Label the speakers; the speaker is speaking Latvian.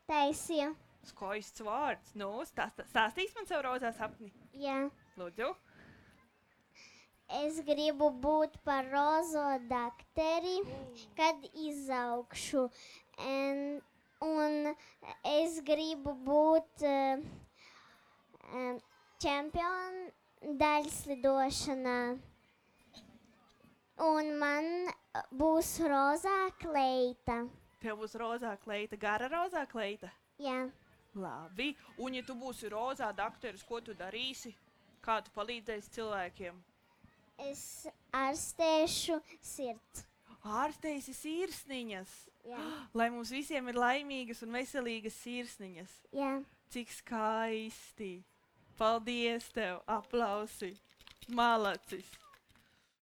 Speaker 1: Taisīju.
Speaker 2: Skaists vārds. Nu, stāstīs man savu rozā sapni.
Speaker 1: Jā.
Speaker 2: Lūdzu.
Speaker 1: Es gribu būt par rozo dakteri, kad izaugšu. Un es gribu būt čempionu daļslidošanā. Un man būs rozā kleita.
Speaker 2: Tev būs rozā kleita, gara rozā kleita?
Speaker 1: Jā.
Speaker 2: Labi. Un ja tu būsi rozā dakteris, ko tu darīsi? Kā tu palīdzēsi cilvēkiem?
Speaker 1: Es ārstēšu sirds.
Speaker 2: Ārstēsi sirsniņas.
Speaker 1: Jā.
Speaker 2: Lai mums visiem ir laimīgas un veselīgas sirsniņas.
Speaker 1: Jā.
Speaker 2: Cik skaisti. Paldies tev. Aplausi. Malacis.